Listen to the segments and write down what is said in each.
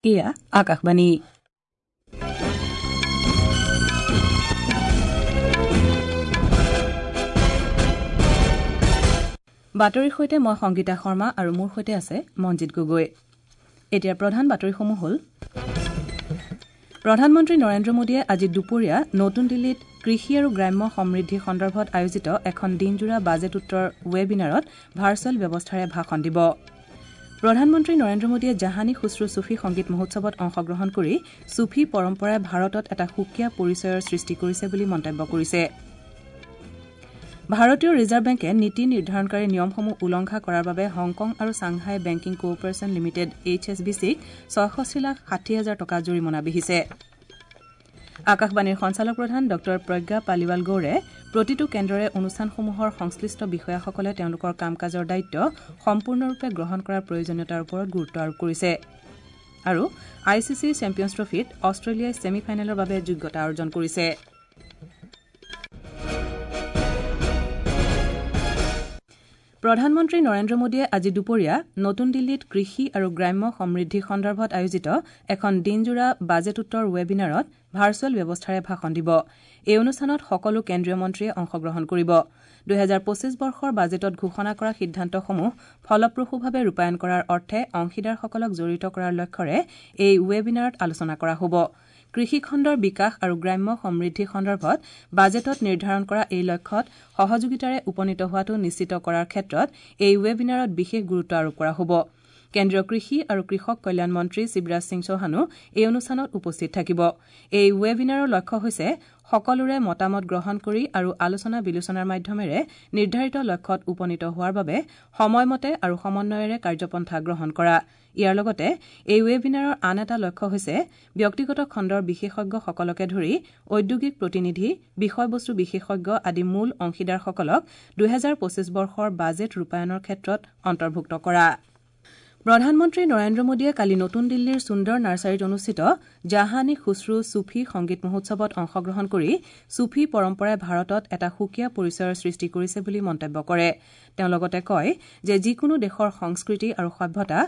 এয়া আকাশবাণী। বাতৰিৰ সৈতে মই সংগীতা শৰ্মা আৰু মোৰ সৈতে আছে মঞ্জিত গগৈ। এতিয়া প্ৰধান বাতৰিসমূহ হ'ল: প্ৰধানমন্ত্ৰী নৰেন্দ্ৰ মোদীয়ে আজি দুপৰীয়া নতুন দিল্লীত কৃষি আৰু গ্ৰাম্য সমৃদ্ধি সন্দৰ্ভত আয়োজিত এখন দিনজোৰা বাজেট উত্তৰ ৱেবিনাৰত ভাৰ্চুৱেল ব্যৱস্থাৰে ভাষণ দিব। প্ৰধানমন্ত্ৰী নৰেন্দ্ৰ মোদীয়ে জাহানী খুছৰু ছুফী সংগীত মহোৎসৱত অংশগ্ৰহণ কৰি ছুফী পৰম্পৰাই ভাৰতত এটা সুকীয়া পৰিচয়ৰ সৃষ্টি কৰিছে বুলি মন্তব্য কৰিছে। ভাৰতীয় ৰিজাৰ্ভ বেংকে নীতি নিৰ্ধাৰণকাৰী নিয়মসমূহ উলংঘা কৰাৰ বাবে হংকং আৰু Shanghai banking corporation limited H S B চিক ৬৬ লাখ ৬০ হাজাৰ টকা জৰিমনা বিহিছে। আকাশবাণীৰ সঞ্চালকপ্ৰধান ডঃ প্ৰজ্ঞা পালিৱাল গৌৰে প্ৰতিটো কেন্দ্ৰৰে অনুষ্ঠানসমূহৰ সংশ্লিষ্ট বিষয়াসকলে তেওঁলোকৰ কাম কাজৰ দায়িত্ব সম্পূৰ্ণৰূপে গ্ৰহণ কৰাৰ প্ৰয়োজনীয়তাৰ ওপৰত গুৰুত্ব আৰোপ কৰিছে। আৰু I C C champions ট্ৰফীত অষ্ট্ৰেলিয়াই ছেমি ফাইনেলৰ বাবে যোগ্যতা অৰ্জন কৰিছে। প্ৰধানমন্ত্ৰী নৰেন্দ্ৰ মোদীয়ে আজি দুপৰীয়া নতুন দিল্লীত কৃষি আৰু গ্ৰাম্য সমৃদ্ধি সন্দৰ্ভত আয়োজিত এখন দিনজোৰা বাজেট উত্তৰ ৱেবিনাৰত ভাৰ্চুৱেল ব্যৱস্থাৰে ভাষণ দিব। এই অনুষ্ঠানত সকলো কেন্দ্ৰীয় মন্ত্ৰীয়ে অংশগ্ৰহণ কৰিব। ২০২৫ বৰ্ষৰ বাজেটত ঘোষণা কৰা সিদ্ধান্তসমূহ ফলপ্ৰসূভাৱে ৰূপায়ণ কৰাৰ অৰ্থে অংশীদাৰসকলক জড়িত কৰাৰ লক্ষ্যৰে এই ৱেবিনাৰত আলোচনা কৰা হ'ব। কৃষিখণ্ডৰ বিকাশ আৰু গ্ৰাম্য সমৃদ্ধি সন্দৰ্ভত বাজেটত নিৰ্ধাৰণ কৰা এই লক্ষ্যত সহযোগিতাৰে উপনীত হোৱাটো নিশ্চিত কৰাৰ ক্ষেত্ৰত এই ৱেবিনাৰত বিশেষ গুৰুত্ব আৰোপ কৰা হ'ব। কেন্দ্ৰীয় কৃষি আৰু কৃষক কল্যাণ মন্ত্ৰী শিৱৰাজ সিং চৌহানো এই অনুষ্ঠানত উপস্থিত থাকিব। এই ৱেবিনাৰৰ লক্ষ্য হৈছে সকলোৰে মতামত গ্ৰহণ কৰি আৰু আলোচনা বিলোচনাৰ মাধ্যমেৰে নিৰ্ধাৰিত লক্ষ্যত উপনীত হোৱাৰ বাবে সময়মতে আৰু সমন্বয়েৰে কাৰ্যপন্থা গ্ৰহণ কৰা। ইয়াৰ লগতে এই ৱেবিনাৰৰ আন এটা লক্ষ্য হৈছে ব্যক্তিগত খণ্ডৰ বিশেষজ্ঞসকলকে ধৰি ঔদ্যোগিক প্ৰতিনিধি, বিষয়বস্তু বিশেষজ্ঞ আদি মূল অংশীদাৰসকলক ২০২৫ বৰ্ষৰ বাজেট ৰূপায়ণৰ ক্ষেত্ৰত অন্তৰ্ভুক্ত কৰা। প্ৰধানমন্ত্ৰী নৰেন্দ্ৰ মোদীয়ে কালি নতুন দিল্লীৰ সুন্দৰ নাৰ্চাৰীত অনুষ্ঠিত জাহানী খুছৰু ছুফী সংগীত মহোৎসৱত অংশগ্ৰহণ কৰি ছুফী পৰম্পৰাই ভাৰতত এটা সুকীয়া পৰিচয়ৰ সৃষ্টি কৰিছে বুলি মন্তব্য কৰে। তেওঁ লগতে কয় যে যিকোনো দেশৰ সংস্কৃতি আৰু সভ্যতা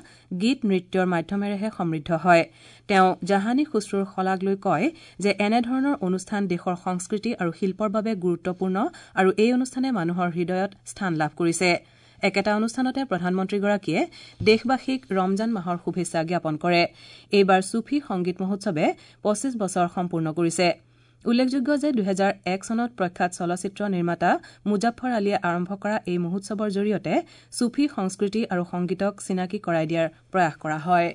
গীত নৃত্যৰ মাধ্যমেৰেহে সমৃদ্ধ হয়। তেওঁ জাহানী খুছৰুৰ শলাগ লৈ কয় যে এনেধৰণৰ অনুষ্ঠান দেশৰ সংস্কৃতি আৰু শিল্পৰ বাবে গুৰুত্বপূৰ্ণ আৰু এই অনুষ্ঠানে মানুহৰ হৃদয়ত স্থান লাভ কৰিছে। একেটা অনুষ্ঠানতে প্ৰধানমন্ত্ৰীগৰাকীয়ে দেশবাসীক ৰমজান মাহৰ শুভেচ্ছা জ্ঞাপন কৰে। এইবাৰ ছুফী সংগীত মহোৎসৱে ২৫ বছৰ সম্পূৰ্ণ কৰিছে। উল্লেখযোগ্য যে ২০০১ চনত প্ৰখ্যাত চলচ্চিত্ৰ নিৰ্মাতা মুজাফ্ফৰ আলীয়ে আৰম্ভ কৰা এই মহোৎসৱৰ জৰিয়তে ছুফী সংস্কৃতি আৰু সংগীতক চিনাকি কৰাই দিয়াৰ প্ৰয়াস কৰা হয়।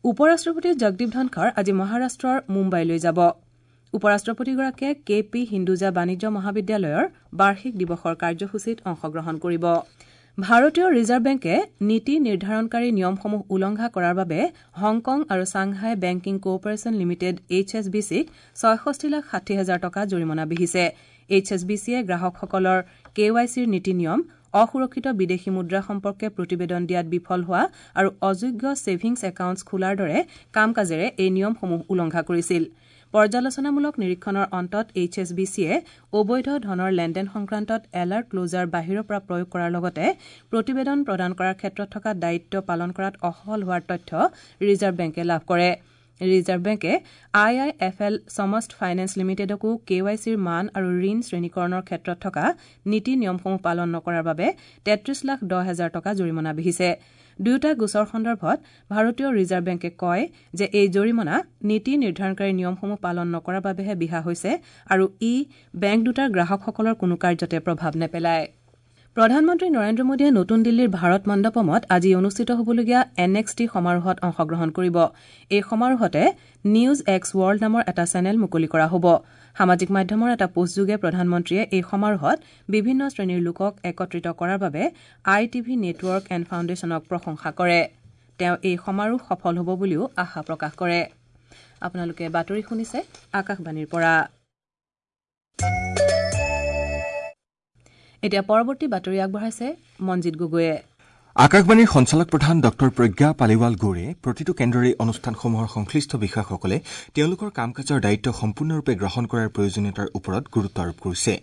উপ ৰাষ্ট্ৰপতি জগদীপ ধনখৰ আজি মহাৰাষ্ট্ৰৰ মুম্বাইলৈ যাব। উপ ৰাষ্ট্ৰপতিগৰাকীয়ে কে পি হিন্দুজা বাণিজ্য মহাবিদ্যালয়ৰ বাৰ্ষিক দিৱসৰ কাৰ্যসূচীত অংশগ্ৰহণ কৰিব। ভাৰতীয় ৰিজাৰ্ভ বেংকে নীতি নিৰ্ধাৰণকাৰী নিয়মসমূহ উলংঘা কৰাৰ বাবে হংকং আৰু Shanghai banking corporation limited H S B চিক ৬৬ লাখ ৬০ হাজাৰ টকা জৰিমনা বিহিছে। এইচ এছ বি চিয়ে গ্ৰাহকসকলৰ কে ৱাই চিৰ নীতি নিয়ম, অসুৰক্ষিত বিদেশী মুদ্ৰা সম্পৰ্কে প্ৰতিবেদন দিয়াত বিফল হোৱা আৰু অযোগ্য ছেভিংছ একাউণ্টছ খোলাৰ দৰে কাম কাজেৰে এই নিয়মসমূহ উলংঘা কৰিছিল। পৰ্যালোচনামূলক নিৰীক্ষণৰ অন্তত এইচ এছ বি চিয়ে অবৈধ ধনৰ লেনদেন সংক্ৰান্তত এলাৰ্ট ক্লজাৰ বাহিৰৰ পৰা প্ৰয়োগ কৰাৰ লগতে প্ৰতিবেদন প্ৰদান কৰাৰ ক্ষেত্ৰত থকা দায়িত্ব পালন কৰাত অসফল হোৱাৰ তথ্য ৰিজাৰ্ভ বেংকে লাভ কৰে। ৰিজাৰ্ভ বেংকে I I F L Samasta finance লিমিটেডকো কে ৱাই চিৰ মান আৰু ঋণ শ্ৰেণীকৰণৰ ক্ষেত্ৰত থকা নীতি নিয়মসমূহ পালন নকৰাৰ বাবে ৩৩ লাখ ১০ হাজাৰ টকা জৰিমনা বিহিছে। দুয়োটা গোচৰ সন্দৰ্ভত ভাৰতীয় ৰিজাৰ্ভ বেংকে কয় যে এই জৰিমনা নীতি নিৰ্ধাৰণকাৰী নিয়মসমূহ পালন নকৰাৰ বাবেহে বিহা হৈছে আৰু ই বেংক দুটাৰ গ্ৰাহকসকলৰ কোনো কাৰ্যতে প্ৰভাৱ নেপেলায়। প্ৰধানমন্ত্ৰী নৰেন্দ্ৰ মোদীয়ে নতুন দিল্লীৰ ভাৰত মণ্ডপমত আজি অনুষ্ঠিত হ'বলগীয়া এন এক্স টি সমাৰোহত অংশগ্ৰহণ কৰিব। এই সমাৰোহতে নিউজ এক্স ৱৰ্ল্ড নামৰ এটা চেনেল মুকলি কৰা হ'ব। সামাজিক মাধ্যমৰ এটা পোষ্টযোগে প্ৰধানমন্ত্ৰীয়ে এই সমাৰোহত বিভিন্ন শ্ৰেণীৰ লোকক একত্ৰিত কৰাৰ বাবে আই টিভি নেটৱৰ্ক এণ্ড ফাউণ্ডেশ্যনক প্ৰশংসা কৰে। তেওঁ এই সমাৰোহ সফল হ'ব বুলিও আশা প্ৰকাশ কৰে। আপোনালোকে বাতৰি শুনিছে আকাশবাণীৰ পৰা। এতিয়া পৰৱৰ্তী বাতৰি আগবঢ়াইছে মঞ্জিত গগৈয়ে। আকাশবাণীৰ সঞ্চালক প্ৰধান ডঃ প্ৰজ্ঞা পালিৱাল গৌৰে প্ৰতিটো কেন্দ্ৰৰে অনুষ্ঠানসমূহৰ সংশ্লিষ্ট বিষয়াসকলে তেওঁলোকৰ কাম কাজৰ দায়িত্ব সম্পূৰ্ণৰূপে গ্ৰহণ কৰাৰ প্ৰয়োজনীয়তাৰ ওপৰত গুৰুত্ব আৰোপ কৰিছে।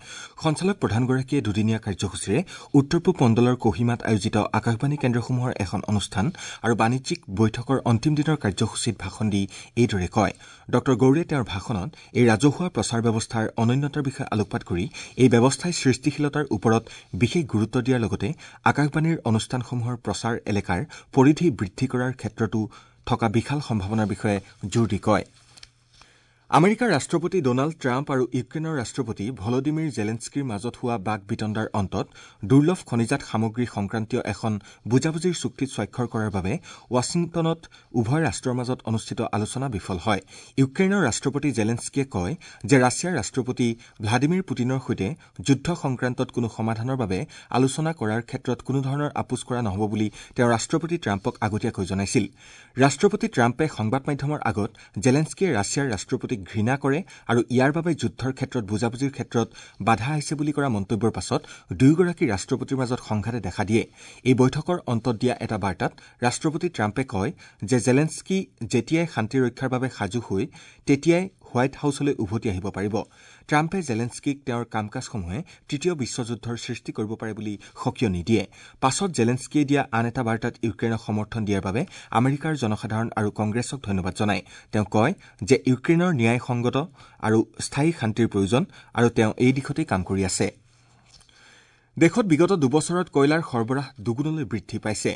সঞ্চালক প্ৰধানগৰাকীয়ে দুদিনীয়া কাৰ্যসূচীৰে উত্তৰ পূব মণ্ডলৰ কহিমাত আয়োজিত আকাশবাণী কেন্দ্ৰসমূহৰ এখন অনুষ্ঠান আৰু বাণিজ্যিক বৈঠকৰ অন্তিম দিনৰ কাৰ্যসূচীত ভাষণ দি এইদৰে কয়। ডঃ গৌৰে তেওঁৰ ভাষণত এই ৰাজহুৱা প্ৰচাৰ ব্যৱস্থাৰ অনন্যতাৰ বিষয়ে আলোকপাত কৰি এই ব্যৱস্থাই সৃষ্টিশীলতাৰ ওপৰত বিশেষ গুৰুত্ব দিয়াৰ লগতে আকাশবাণীৰ অনুষ্ঠানসমূহৰ প্ৰচাৰ এলেকাৰ পৰিধি বৃদ্ধি কৰাৰ ক্ষেত্ৰতো থকা বিশাল সম্ভাৱনাৰ বিষয়ে জোৰ দি কয়। আমেৰিকাৰ ৰাষ্ট্ৰপতি ডনাল্ড ট্ৰাম্প আৰু ইউক্ৰেইনৰ ৰাষ্ট্ৰপতি ভলডিমিৰ জেলেনস্কিৰ মাজত হোৱা বাক বিতণ্ডাৰ অন্তত দুৰ্লভ খনিজাত সামগ্ৰী সংক্ৰান্তীয় এখন বুজাবুজিৰ চুক্তিত স্বাক্ষৰ কৰাৰ বাবে ৱাশ্বিংটনত উভয় ৰাষ্ট্ৰৰ মাজত অনুষ্ঠিত আলোচনা বিফল হয়। ইউক্ৰেইনৰ ৰাষ্ট্ৰপতি জেলেনস্কিয়ে কয় যে ৰাছিয়াৰ ৰাষ্ট্ৰপতি ভ্লাডিমিৰ পুটিনৰ সৈতে যুদ্ধ সংক্ৰান্তত কোনো সমাধানৰ বাবে আলোচনা কৰাৰ ক্ষেত্ৰত কোনোধৰণৰ আপোচ কৰা নহ'ব বুলি তেওঁ ৰাষ্ট্ৰপতি ট্ৰাম্পক আগতীয়াকৈ জনাইছিল। ৰাষ্ট্ৰপতি ট্ৰাম্পে সংবাদ মাধ্যমৰ আগত জেলেনস্কিয়ে ৰাছিয়াৰ ৰাষ্ট্ৰপতিক ঘৃণা কৰে আৰু ইয়াৰ বাবে যুদ্ধৰ ক্ষেত্ৰত বুজাবুজিৰ ক্ষেত্ৰত বাধা আহিছে বুলি কৰা মন্তব্যৰ পাছত দুয়োগৰাকী ৰাষ্ট্ৰপতিৰ মাজত সংঘাতে দেখা দিয়ে। এই বৈঠকৰ অন্তত দিয়া এটা বাৰ্তাত ৰাষ্ট্ৰপতি ট্ৰাম্পে কয় যে জেলেনস্কি যেতিয়াই শান্তি ৰক্ষাৰ বাবে সাজু হৈ তেতিয়াই হোৱাইট হাউচলৈ উভতি আহিব পাৰিব। ট্ৰাম্পে জেলেনস্কিক তেওঁৰ কাম কাজসমূহে তৃতীয় বিশ্বযুদ্ধৰ সৃষ্টি কৰিব পাৰে বুলি সকীয়নি দিয়ে। পাছত জেলেনস্কিয়ে দিয়া আন এটা বাৰ্তাত ইউক্ৰেইনক সমৰ্থন দিয়াৰ বাবে আমেৰিকাৰ জনসাধাৰণ আৰু কংগ্ৰেছক ধন্যবাদ জনায়। তেওঁ কয় যে ইউক্ৰেইনৰ ন্যায়সংগত আৰু স্থায়ী শান্তিৰ প্ৰয়োজন আৰু তেওঁ এই দিশতেই কাম কৰি আছে। দেশত বিগত দুবছৰত কয়লাৰ সৰবৰাহ দুগুণলৈ বৃদ্ধি পাইছে।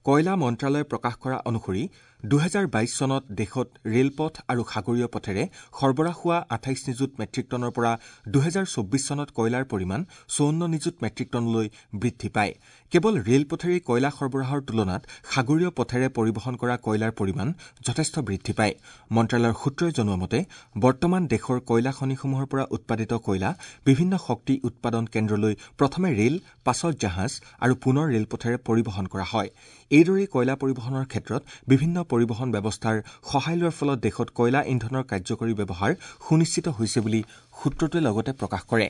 কয়লা মন্ত্ৰালয়ে প্ৰকাশ কৰা অনুসৰি ২০২২ চনত দেশত ৰেলপথ আৰু সাগৰীয় পথেৰে সৰবৰাহ হোৱা ২৮ নিযুত মেট্ৰিক টনৰ পৰা ২০২৪ চনত কয়লাৰ পৰিমাণ ৫৪ নিযুত মেট্ৰিক টনলৈ বৃদ্ধি পায়। কেৱল ৰেলপথেৰে কয়লা সৰবৰাহৰ তুলনাত সাগৰীয় পথেৰে পৰিবহণ কৰা কয়লাৰ পৰিমাণ যথেষ্ট বৃদ্ধি পায়। মন্ত্ৰালয়ৰ সূত্ৰই জনোৱা মতে বৰ্তমান দেশৰ কয়লা খনিসমূহৰ পৰা উৎপাদিত কয়লা বিভিন্ন শক্তি উৎপাদন কেন্দ্ৰলৈ প্ৰথমে ৰেল, পাছত জাহাজ আৰু পুনৰ ৰেলপথেৰে পৰিবহণ কৰা হয়। এইদৰেই কয়লা পৰিবহণৰ ক্ষেত্ৰত বিভিন্ন পৰিবহণ ব্যৱস্থাৰ সহায় লোৱাৰ ফলত দেশত কয়লা ইন্ধনৰ কাৰ্যকৰী ব্যৱহাৰ সুনিশ্চিত হৈছে বুলি সূত্ৰটোৱে লগতে প্ৰকাশ কৰে।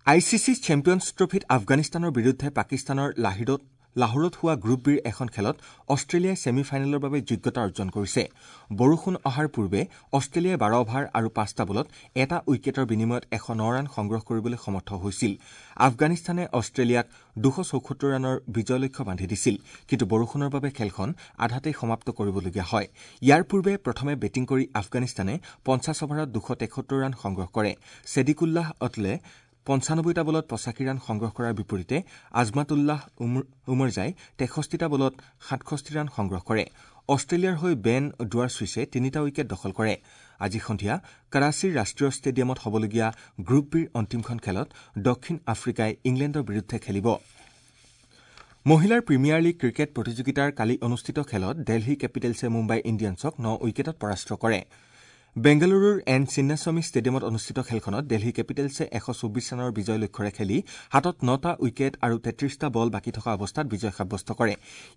I C C champions ট্ৰফীত আফগানিস্তানৰ বিৰুদ্ধে পাকিস্তানৰ লাহোৰত হোৱা গ্ৰুপ বিৰ এখন খেলত অষ্ট্ৰেলিয়াই ছেমি ফাইনেলৰ বাবে যোগ্যতা অৰ্জন কৰিছে। বৰষুণ অহাৰ পূৰ্বে অষ্ট্ৰেলিয়াই ১২ অভাৰ আৰু ৫টা বলত এটা উইকেটৰ বিনিময়ত ১০৯ ৰান সংগ্ৰহ কৰিবলৈ সমৰ্থ হৈছিল। আফগানিস্তানে অষ্ট্ৰেলিয়াক ২৭৪ ৰানৰ বিজয় লক্ষ্য বান্ধি দিছিল, কিন্তু বৰষুণৰ বাবে খেলখন আধাতেই সমাপ্ত কৰিবলগীয়া হয়। ইয়াৰ পূৰ্বে প্ৰথমে বেটিং কৰি আফগানিস্তানে ৫০ অভাৰত ২৭৩ ৰান সংগ্ৰহ কৰে। ছেদিকুল্লাহ অটলে ৯৫টা বলত ৮৫ ৰান সংগ্ৰহ কৰাৰ বিপৰীতে আজমাতুল্লাহ উমৰজাই ৬৩টা বলত ৬৭ ৰান সংগ্ৰহ কৰে। অষ্ট্ৰেলিয়াৰ হৈ বেন ডুৱাৰ্ছুইছে ৩টা উইকেট দখল কৰে। আজি সন্ধিয়া কৰাচীৰ ৰাষ্ট্ৰীয় ষ্টেডিয়ামত হ'বলগীয়া গ্ৰুপ বিৰ অন্তিমখন খেলত দক্ষিণ আফ্ৰিকাই ইংলেণ্ডৰ বিৰুদ্ধে খেলিব। মহিলাৰ প্ৰিমিয়াৰ লীগ ক্ৰিকেট প্ৰতিযোগিতাৰ কালি অনুষ্ঠিত খেলত দেলহী কেপিটেলছে মুম্বাই ইণ্ডিয়ানছক ৯ উইকেটত পৰাস্ত কৰে। বেংগালুৰুৰ এন চিন্নাস্বামী ষ্টেডিয়ামত অনুষ্ঠিত খেলখনত দেলহী কেপিটেলছে ১২৪ ৰানৰ বিজয় লক্ষ্যৰে খেলি হাতত ৯টা উইকেট আৰু ৩৩টা বল বাকী থকা অৱস্থাত বিজয় সাব্যস্ত কৰে।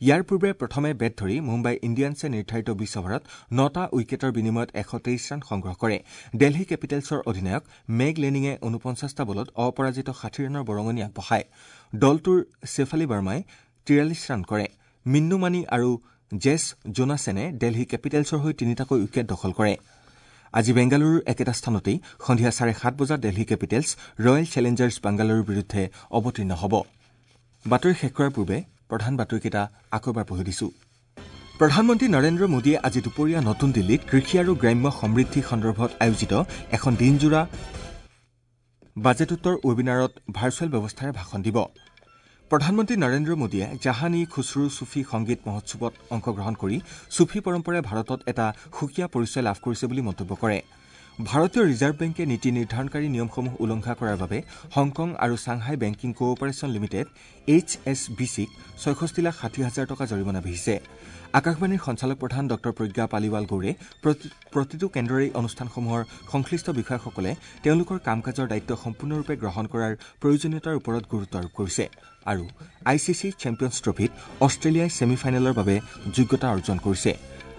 ইয়াৰ পূৰ্বে প্ৰথমে বেট ধৰি মুম্বাই ইণ্ডিয়ানছে নিৰ্ধাৰিত ২০ অভাৰত ৯টা উইকেটৰ বিনিময়ত ১২৩ ৰান সংগ্ৰহ কৰে। দেলহী কেপিটেলছৰ অধিনায়ক মেগ লেনিঙে ৪৯টা বলত অপৰাজিত ৬০ ৰানৰ বৰঙণি আগবঢ়ায়। দলটোৰ শ্বেফালী বাৰ্মাই ৪৩ ৰান কৰে। মিন্নু মানি আৰু জেছ জোনাছেনে দেলহী কেপিটেলছৰ হৈ ৩টাকৈ উইকেট দখল কৰে। আজি বেংগালুৰুৰ একেটা স্থানতেই সন্ধিয়া ৭:৩০ বজাত দেলহী কেপিটেলছ ৰয়েল চেলেঞ্জাৰ্ছ বাংগালুৰুৰ বিৰুদ্ধে অৱতীৰ্ণ হ'ব। বাতৰি শেষ কৰাৰ পূৰ্বে প্ৰধান বাতৰিকেইটা আকৌ এবাৰ পঢ়ি দিছো। প্ৰধানমন্ত্ৰী নৰেন্দ্ৰ মোদীয়ে আজি দুপৰীয়া নতুন দিল্লীত কৃষি আৰু গ্ৰাম্য সমৃদ্ধি সন্দৰ্ভত আয়োজিত এখন দিনজোৰা বাজেটোত্তৰ ৱেবিনাৰত ভাৰ্চুৱেল ব্যৱস্থাৰে ভাষণ দিব। প্ৰধানমন্ত্ৰী নৰেন্দ্ৰ মোদীয়ে জাহান ই খুচৰু চুফী সংগীত মহোৎসৱত অংশগ্ৰহণ কৰি চুফী পৰম্পৰাই ভাৰতত এটা সুকীয়া পৰিচয় লাভ কৰিছে বুলি মন্তব্য কৰে। ভাৰতীয় ৰিজাৰ্ভ বেংকে নীতি নিৰ্ধাৰণকাৰী নিয়মসমূহ উলংঘা কৰাৰ বাবে হংকং আৰু Shanghai banking cooperation limited H S B চিক ৬৬,৬০,০০০ টকা জৰিমনা বিহিছে। আকাশবাণীৰ সঞ্চালক প্ৰধান ডঃ প্ৰজ্ঞা পালিৱাল গৌৰে প্ৰতিটো কেন্দ্ৰৰে অনুষ্ঠানসমূহৰ সংশ্লিষ্ট বিষয়াসকলে তেওঁলোকৰ কাম কাজৰ দায়িত্ব সম্পূৰ্ণৰূপে গ্ৰহণ কৰাৰ প্ৰয়োজনীয়তাৰ ওপৰত গুৰুত্ব আৰোপ কৰিছে। আৰু I C C champions ট্ৰফীত অষ্ট্ৰেলিয়াই ছেমি ফাইনেলৰ বাবে যোগ্যতা অৰ্জন কৰিছে।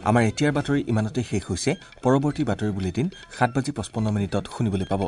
আমাৰ এতিয়াৰ বাতৰি ইমানতে শেষ হৈছে। পৰৱৰ্তী বাতৰি বুলেটিন ৭:৫৫ শুনিবলৈ পাব।